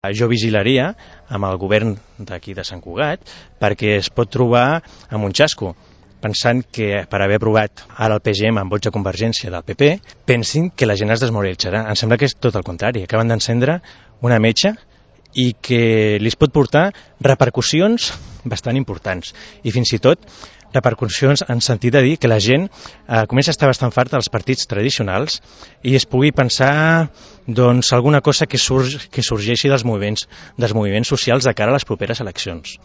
Jo vigilaria amb el govern d'aquí de Sant Cugat perquè es pot trobar amb un xasco, pensant que per haver aprovat ara el PGM amb vots de Convergència del PP, pensin que la gent es desmoralitzarà. Em sembla que és tot el contrari. Acaben d'encendre una metxa i que li pot portar repercussions bastant importants i fins i tot repercussions en sentit de dir que la gent comença a estar bastant farta dels partits tradicionals i es pugui pensar doncs, alguna cosa que sorgeixi dels moviments socials de cara a les properes eleccions.